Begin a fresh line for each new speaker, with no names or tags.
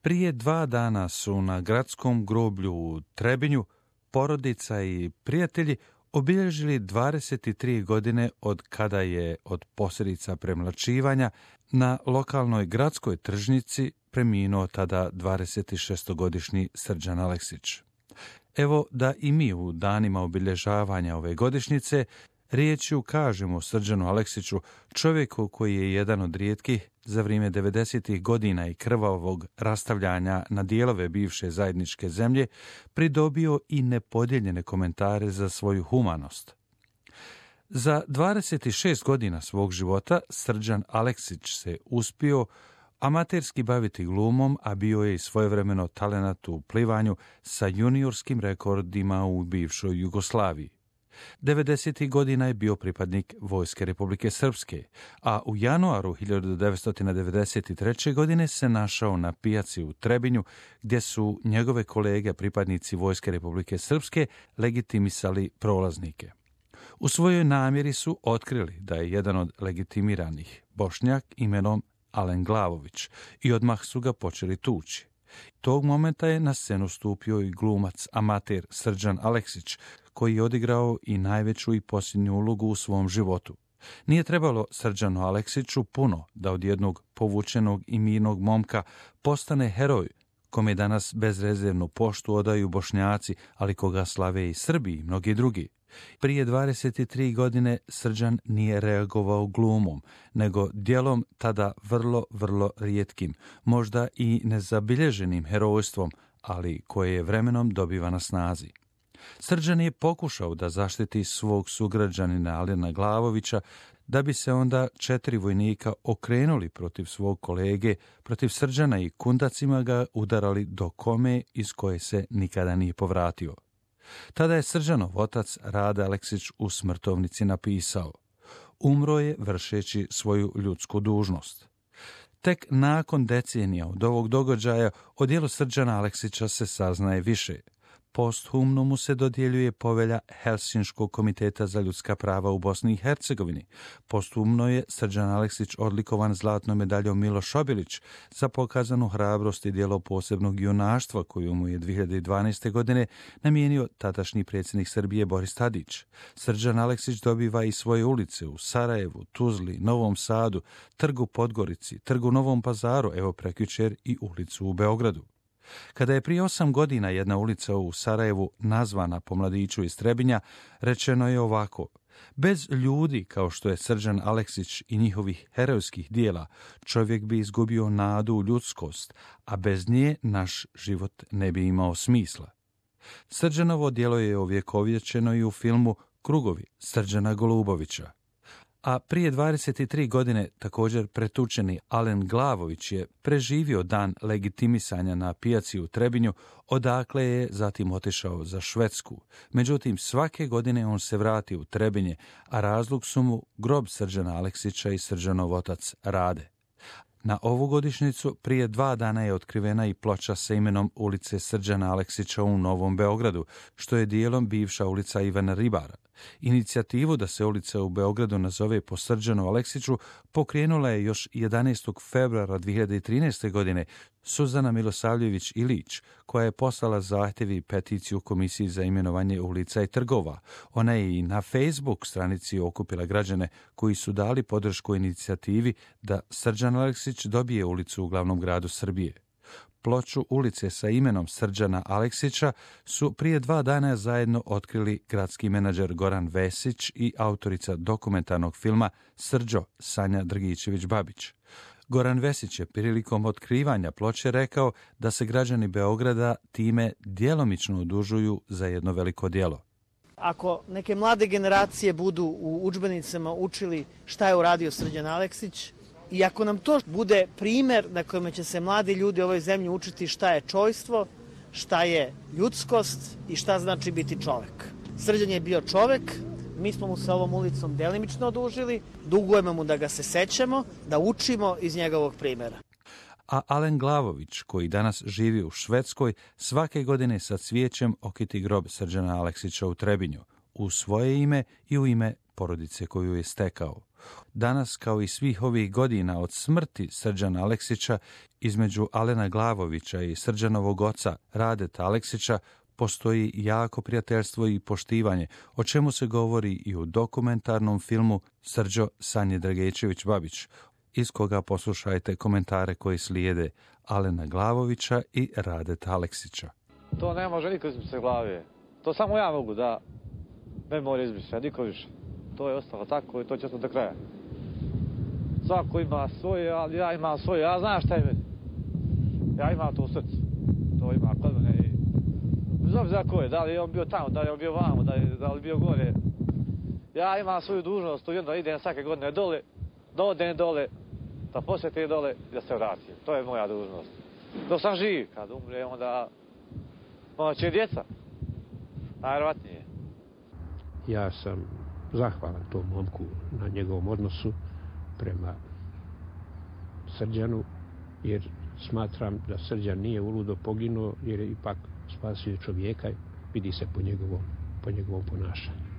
Prije 2 dana su na gradskom groblju u Trebinju porodica i prijatelji obilježili 23 godine od kada je od posljedica premlaćivanja na lokalnoj gradskoj tržnici preminuo tada 26-godišnji Srđan Aleksić. Evo da i mi u danima obilježavanja ove godišnjice riječju kažemo Srđanu Aleksiću, čovjeku koji je jedan od rijetkih za vrijeme 90. godina i krvavog rastavljanja na dijelove bivše zajedničke zemlje pridobio i nepodijeljene komentare za svoju humanost. Za 26 godina svog života Srđan Aleksić se uspio amaterski baviti glumom, a bio je i svojevremeno talenat u plivanju sa juniorskim rekordima u bivšoj Jugoslaviji. 90. godina je bio pripadnik Vojske Republike Srpske, a u januaru 1993. godine se našao na pijaci u Trebinju, gdje su njegove kolege pripadnici Vojske Republike Srpske legitimisali prolaznike. U svojoj namjeri su otkrili da je jedan od legitimiranih Bošnjak imenom Alen Glavović i odmah su ga počeli tući. Tog momenta je na scenu stupio i glumac amater Srđan Aleksić, koji je odigrao i najveću i posljednju ulogu u svom životu. Nije trebalo Srđanu Aleksiću puno da od jednog povučenog i mirnog momka postane heroj, kome danas bezrezervnu poštu odaju Bošnjaci, ali koga slave i Srbi i mnogi drugi. Prije 23 godine Srđan nije reagovao glumom, nego djelom tada vrlo rijetkim, možda i nezabilježenim herojstvom, ali koje je vremenom dobiva na snazi. Srđan je pokušao da zaštiti svog sugrađanina Alena Glavovića, da bi se onda 4 vojnika okrenuli protiv svog kolege, protiv Srđana i kundacima ga udarali do kome iz koje se nikada nije povratio. Tada je Srđanov otac Rade Aleksić u smrtovnici napisao: umro je vršeći svoju ljudsku dužnost. Tek nakon decenija od ovog događaja o djelu Srđana Aleksića se saznaje više. Posthumno mu se dodjeljuje povelja Helsinškog komiteta za ljudska prava u Bosni i Hercegovini. Posthumno je Srđan Aleksić odlikovan zlatnom medaljom Miloš Obilić za pokazanu hrabrost i djelo posebnog junaštva koju mu je 2012. godine namijenio tadašnji predsjednik Srbije Boris Tadić. Srđan Aleksić dobiva i svoje ulice u Sarajevu, Tuzli, Novom Sadu, Trgu Podgorici, Trgu Novom Pazaru, evo prekjučer i ulicu u Beogradu. Kada je prije 8 godina jedna ulica u Sarajevu nazvana po mladiću iz Trebinja, rečeno je ovako: bez ljudi kao što je Srđan Aleksić i njihovih herojskih dijela, čovjek bi izgubio nadu u ljudskost, a bez nje naš život ne bi imao smisla. Srđanovo djelo je ovjekovječeno i u filmu Krugovi Srđana Golubovića. A prije 23 godine također pretučeni Alen Glavović je preživio dan legitimisanja na pijaci u Trebinju, odakle je zatim otišao za Švedsku. Međutim, svake godine on se vrati u Trebinje, a razlog su mu grob Srđana Aleksića i Srđanov otac Rade. Na ovu godišnjicu prije 2 dana je otkrivena i ploča sa imenom ulice Srđana Aleksića u Novom Beogradu, što je dijelom bivša ulica Ivana Ribara. Inicijativu da se ulica u Beogradu nazove po Srđanu Aleksiću pokrenula je još 11. februara 2013. godine Suzana Milosavljević Ilić, koja je poslala zahtjev i peticiju Komisiji za imenovanje ulica i trgova. Ona je i na Facebook stranici okupila građane koji su dali podršku inicijativi da Srđan Aleksić dobije ulicu u glavnom gradu Srbije. Ploču ulice sa imenom Srđana Aleksića su prije 2 dana zajedno otkrili gradski menadžer Goran Vesić i autorica dokumentarnog filma Srđo Sanja Drgičević-Babić. Goran Vesić je prilikom otkrivanja ploče rekao da se građani Beograda time djelomično odužuju za jedno veliko djelo.
Ako neke mlade generacije budu u udžbenicama učili šta je uradio Srđan Aleksić, i ako nam to bude primjer na kojem će se mladi ljudi u ovoj zemlji učiti šta je čojstvo, šta je ljudskost i šta znači biti čovek. Srđan je bio čovek, mi smo mu sa ovom ulicom delimično odužili, dugujemo mu da ga se sećamo, da učimo iz njegovog primjera.
A Alen Glavović, koji danas živi u Švedskoj, svake godine sa cvijećem okiti grob Srđana Aleksića u Trebinju, u svoje ime i u ime porodice koju je stekao. Danas, kao i svih ovih godina od smrti Srđana Aleksića, između Alena Glavovića i Srđanovog oca Radeta Aleksića postoji jako prijateljstvo i poštivanje, o čemu se govori i u dokumentarnom filmu Srđo Sanje Dragećević-Babić, iz koga poslušajte komentare koji slijede Alena Glavovića i Radeta Aleksića.
To ne može niko izbrisati glave. To samo ja mogu da ne mora izbrisati, niko više. To je ostalo tako i to će ostati do kraja. Svako ima svoje, ali ja imam svoje. Ja znam šta je meni. Ja imam to u srcu. To ima kod mene i bez obzira ko je, da li je on bio tamo, da li je on bio vamo, da li je bio gore. Ja imam svoju dužnost, ujedno idem svake godine dole, da odem dole, da posjetim dole i da se vratim. To je moja dužnost. Dok sam živ, kad umre, onda će djeca. Najvjerojatnije.
Ja sam zahvalan tom momku na njegovom odnosu prema Srđanu, jer smatram da Srđan nije uludo poginuo, jer je ipak spasio čovjeka, vidi se po njegovom ponašanju.